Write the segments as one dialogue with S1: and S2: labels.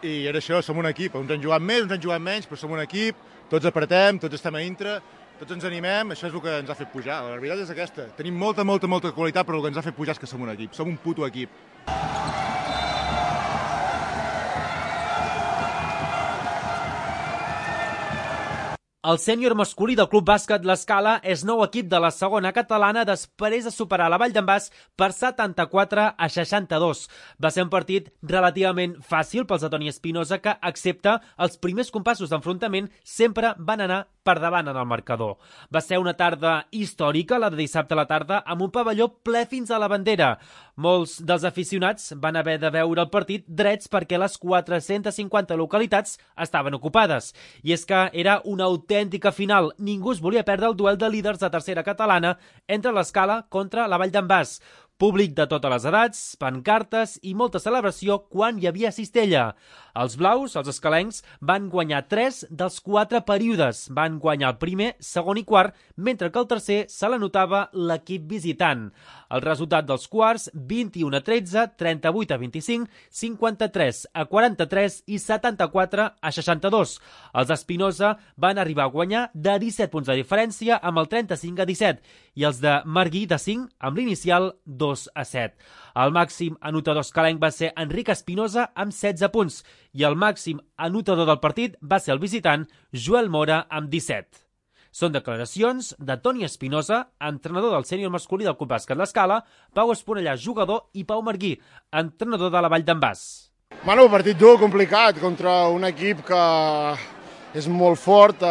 S1: i era això, som un equip. Uns han jugat més, uns han jugat menys, però som un equip, tots apretem, tots estem a dintre, tots ens animem, això és el que ens ha fet pujar. La veritat és aquesta. Tenim molta qualitat, però el que ens ha fet pujar és que som un equip. Som un puto equip.
S2: El sènior masculí del Club Bàsquet L'Escala és nou equip de la segona catalana després de superar la Vall d'en Bas per 74-62. Va ser un partit relativament fàcil pels de Toni Espinosa que, excepte els primers compassos d'enfrontament, sempre van anar per davant en el marcador. Va ser una tarda històrica, la de dissabte a la tarda, amb un pavelló ple fins a la bandera. Molts dels aficionats van haver de veure el partit drets perquè les 450 localitats estaven ocupades. I és que era una autèntica final. Ningú es volia perdre el duel de líders de tercera catalana entre l'Escala contra la Vall d'en Bas. Públic de totes les edats, pancartes i molta celebració quan hi havia cistella. Els blaus, els escalencs, van guanyar 3 dels 4 períodes. Van guanyar el primer, segon i quart, mentre que el tercer se l'anotava l'equip visitant. El resultat dels quarts, 21-13, 38-25, 53-43 i 74-62. Els Espinosa van arribar a guanyar de 17 punts de diferència amb el 35-17 i els de Marguí de 5 amb l'inicial 2-7. El màxim anotador escalenc va ser Enric Espinosa amb 16 punts i el màxim anotador del partit va ser el visitant Joel Mora amb 17. Són declaracions de Toni Espinosa, entrenador del sènior masculí del Club Bàsquet L'Escala, Pau Esponellà, jugador, i Pau Marguí, entrenador de la Vall d'en Bas.
S3: Bueno, partit dur, complicat, contra un equip que és molt fort.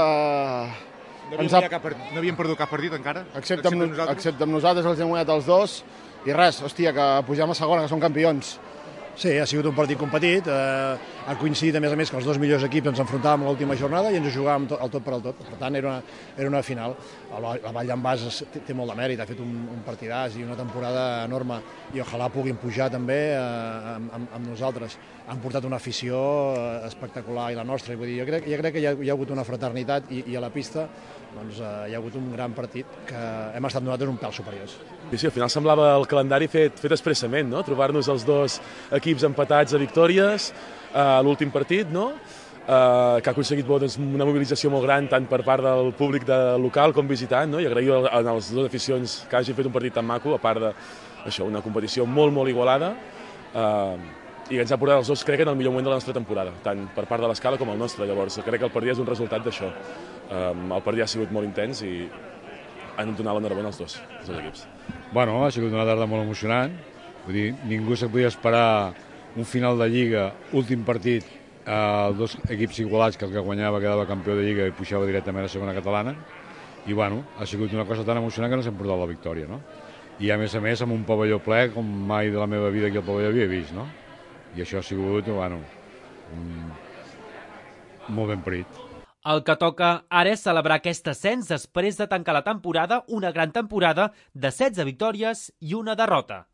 S1: No havíem perdut cap partit encara?
S3: Excepte amb nosaltres, els hem guanyat els dos. I res, hòstia, que pugem a segona, que som campions.
S4: Sí, ha sigut un partit competit. Ha coincidit, a més que els dos millors equips ens enfrontàvem a l'última jornada i ens jugàvem el tot per al tot. Per tant, era una final. La Vall d'en Bas té molt de mèrit, ha fet un partidàs i una temporada enorme i ojalà puguin pujar també amb nosaltres. Han portat una afició espectacular i la nostra. Vull dir, jo crec que hi ha hagut una fraternitat i a la pista doncs, hi ha hagut un gran partit que hem estat nosaltres un pèl superiors.
S5: Sí, al final semblava el calendari fet expressament, no? Trobar-nos els dos equips empatats a victòries a l'últim partit, no? Que ha aconseguit una mobilització molt gran tant per part del públic local com visitant, no? I agrair a les dues aficions que hagin fet un partit tan maco, a part d'això, una competició molt, molt igualada, i que ens ha portat els dos, crec, en el millor moment de la nostra temporada, tant per part de l'Escala com el nostre. Llavors, crec que el partit és un resultat d'això. El partit ha sigut molt intens i han donat l'enhorabona als dos equips.
S6: Bueno, ha sigut una tarda molt emocionant. Vull dir, ningú se podia esperar un final de Lliga, últim partit, dos equips igualats, que el que guanyava quedava campió de Lliga i pujava directament a segona catalana. I bueno, ha sigut una cosa tan emocionant que no s'hem portat la victòria, no? I a més, amb un pavelló ple, com mai de la meva vida aquí al pavelló havia vist, no? I això ha sigut, bueno, molt ben parit.
S2: El que toca ara és celebrar aquest ascens després de tancar la temporada, una gran temporada de 16 victòries i una derrota.